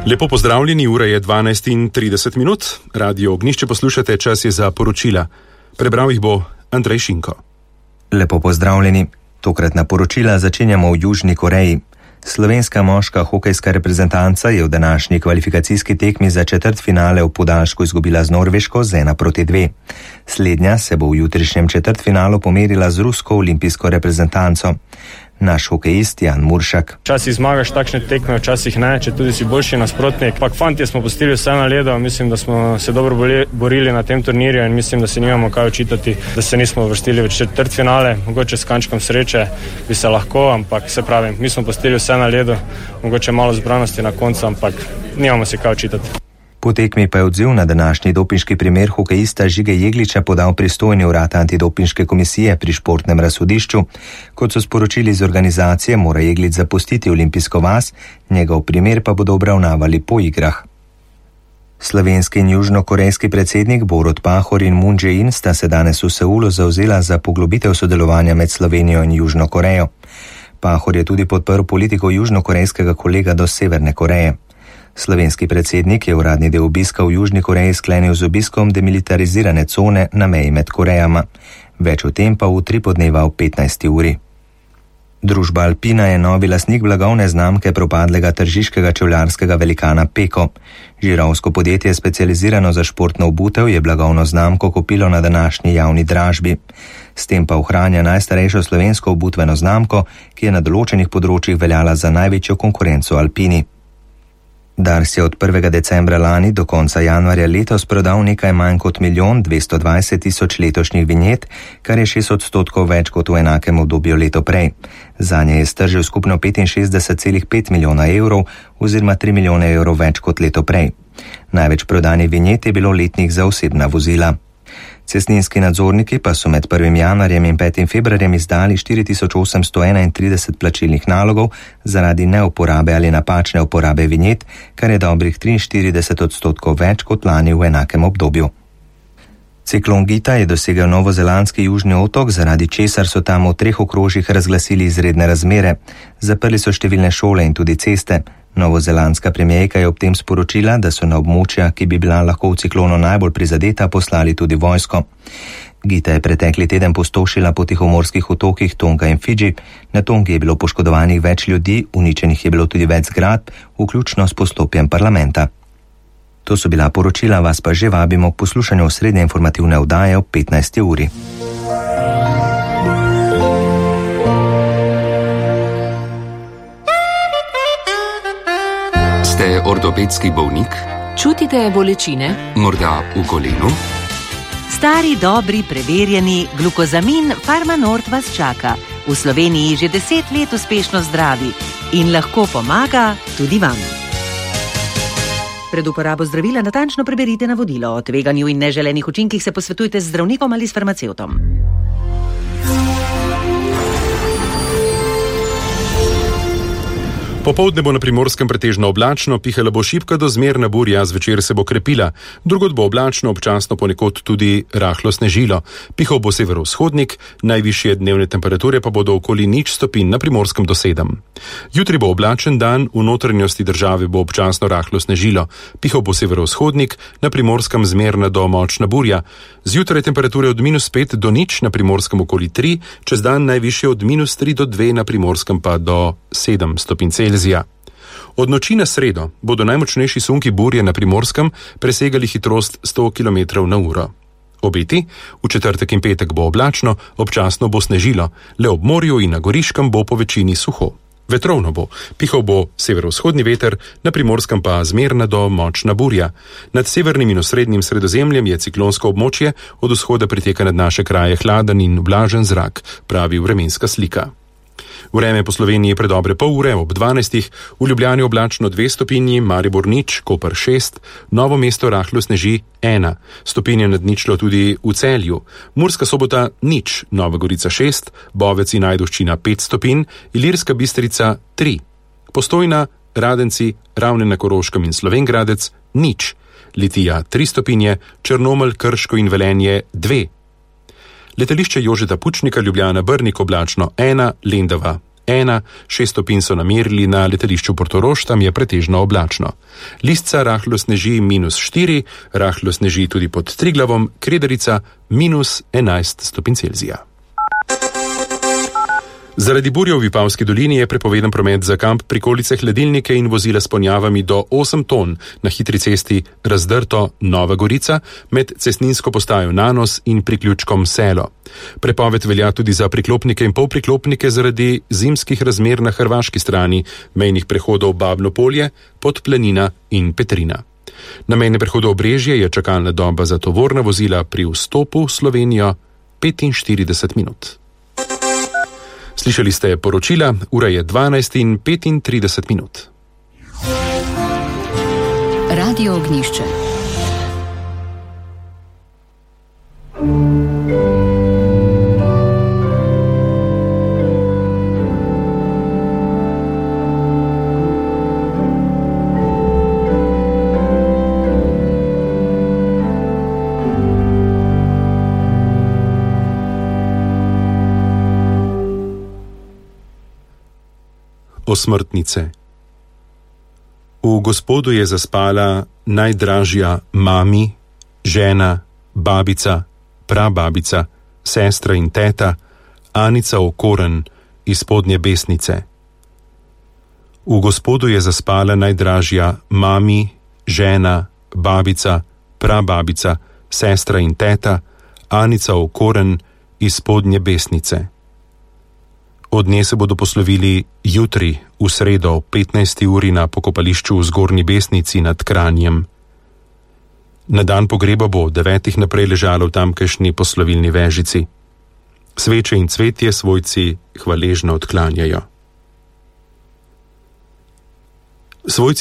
Lepo pozdravljeni, ura je 12:30. Radio Ognjišče poslušate, čas je za poročila. Prebral jih bo Andrej Šinko. Lepo pozdravljeni. Tokratna poročila začenjamo v Južni Koreji. Slovenska moška hokejska reprezentanca je v današnji kvalifikacijski tekmi za četrtfinale v podaljšku izgubila z Norveško z 1-2. Slednja se bo v jutrišnjem četrtfinalu pomerila z rusko olimpijsko reprezentanco. Naš hokejist Jan Muršak. Včasih zmagaš takšne tekme, včasih ne, če tudi si boljši nasprotnik. Pak fantje smo pustili vse na ledu, mislim, da smo se dobro borili na tem turnirju in mislim, da se nimamo kaj očitati, da se nismo uvrstili v četrtfinale. Mogoče s kančkom sreče bi se lahko, ampak se pravim, mi smo pustili vse na ledu, mogoče malo zbranosti na koncu, ampak nimamo se kaj očitati. Po tekmi pa je odziv na današnji dopinški primer hokejista Žige Jegliča podal pristojni urad antidopinške komisije pri športnem razsodišču. Kot so sporočili iz organizacije, mora Jeglič zapustiti olimpijsko vas, njegov primer pa bodo obravnavali po igrah. Slovenski in južnokorejski predsednik Borut Pahor in Moon Jae-in sta se danes v Seulu zavzela za poglobitev sodelovanja med Slovenijo in Južno Korejo. Pahor je tudi podprl politiko južnokorejskega kolega do Severne Koreje. Slovenski predsednik je uradni del obiska v Južni Koreji sklenil z obiskom demilitarizirane cone na meji med Korejama. Več o tem pa v utri podneva v 15. uri. Družba Alpina je novi lastnik blagovne znamke propadlega tržiškega čevljarskega velikana Peko. Žirovsko podjetje, specializirano za športno obutev, je blagovno znamko kupilo na današnji javni dražbi. S tem pa ohranja najstarejšo slovensko obutveno znamko, ki je na določenih področjih veljala za največjo konkurenco Alpini. Dars je od 1. decembra lani do konca januarja letos prodal nekaj manj kot 1.220.000 letošnjih vinjet, kar je 6% več kot v enakem obdobju leto prej. Zanje je stržil skupno 65,5 milijona evrov oziroma 3 milijone evrov več kot leto prej. Največ prodanih vinjet je bilo letnih za osebna vozila. Cestninski nadzorniki pa so med 1. januarjem in 5. februarjem izdali 4.831 plačilnih nalogov zaradi neuporabe ali napačne uporabe vinjet, kar je dobrih 43% več kot lani v enakem obdobju. Ciklon Gita je dosegel novozelandski južni otok, zaradi česar so tam v 3 okrožjih razglasili izredne razmere. Zaprli so številne šole in tudi ceste. Novozelandska premijerka je ob tem sporočila, da so na območja, ki bi bila lahko v ciklonu najbolj prizadeta, poslali tudi vojsko. Gita je pretekli teden pustošila po tihomorskih otokih Tonga in Fidži. Na Tongi je bilo poškodovanih več ljudi, uničenih je bilo tudi več zgradb, vključno s poslopjem parlamenta. To so bila poročila, vas pa že vabimo k poslušanju osrednje informativne oddaje ob 15. uri. Ste ortopedski bolnik? Čutite bolečine? Morda v kolenu? Stari, dobri, preverjeni glukozamin Farmanort vas čaka. V Sloveniji že 10 let uspešno zdravi in lahko pomaga tudi vam. Pred uporabo zdravila natančno preberite navodilo. O tveganju in neželenih učinkih se posvetujte z zdravnikom ali s farmacevtom. Popoldne bo na Primorskem pretežno oblačno, pihala bo šibka do zmerna burja, zvečer se bo krepila. Drugod bo oblačno, občasno ponekod tudi rahlo snežilo. Pihal bo severovzhodnik, najvišje dnevne temperature pa bodo okoli 0 stopinj, na Primorskem do 7. Jutri bo oblačen dan, v notranjosti države bo občasno rahlo snežilo. Pihal bo severovzhodnik, na Primorskem zmerna do močna burja. Zjutraj temperature od -5 do 0, na Primorskem okoli 3, čez dan najvišje od -3 do 2, na Primorskem pa do 7 stopinj Celzija. Od noči na sredo bodo najmočnejši sunki burje na Primorskem presegali hitrost 100 km/h. Obeti, v četrtek in petek bo oblačno, občasno bo snežilo, le ob morju in na Goriškem bo po večini suho. Vetrovno bo, pihal bo severovzhodni veter, na Primorskem pa zmerna do močna burja. Nad severnim in osrednjim Sredozemljem je ciklonsko območje, od vzhoda priteka nad naše kraje hladen in vlažen zrak, pravi vremenska slika. Vreme po Sloveniji predobre pol ure ob 12, v Ljubljani oblačno 2 stopinji, Maribor 0, Koper 6, Novo mesto rahlo sneži 1, stopinje nad ničlo tudi v Celju, Murska Sobota 0, Nova Gorica 6, Bovec in Ajdovščina 5 stopinj, Ilirska Bistrica 3, Postojna, Radenci, Ravne na Koroškem in Slovengradec 0, Litija 3 stopinje, Črnomelj, Krško in Velenje 2. Letališče Jožeta Pučnika, Ljubljana Brnik oblačno 1, Lendava -1, 6 stopinj so namerili na letališču Portorož, tam je pretežno oblačno. Lisca rahlo sneži -4, rahlo sneži tudi pod Triglavom, Krederica -11 stopinj Celzija. Zaradi burje v Vipavski dolini je prepovedan promet za kamp, prikolice, hladilnike in vozila s ponjavami do 8 ton na hitri cesti Razdrto-Nova Gorica med cestninsko postajo Nanos in priključkom Selo. Prepoved velja tudi za priklopnike in polpriklopnike zaradi zimskih razmer na hrvaški strani mejnih prehodov Babno Polje, Podplanina in Petrina. Na mejnem prehodu Obrežje je čakalna doba za tovorna vozila pri vstopu v Slovenijo 45 minut. Slišali ste poročila, ura je 12:35 minut. Radio Ognjišče. Osmrtnice. V Gospodu je zaspala najdražja mami, žena, babica, prababica, sestra in teta, Anica Okoren iz Spodnje Besnice. V Gospodu je zaspala najdražja mami, žena, babica, prababica, sestra in teta, Anica Okoren iz Spodnje Besnice. Od nje se bodo poslovili jutri, v sredo, 15. uri na pokopališču v Zgornji Besnici nad Kranjem. Na dan pogreba bo 9 naprej ležalo v tamkajšnji poslovilni vežici. Sveče in cvetje svojci hvaležno odklanjajo. Svojci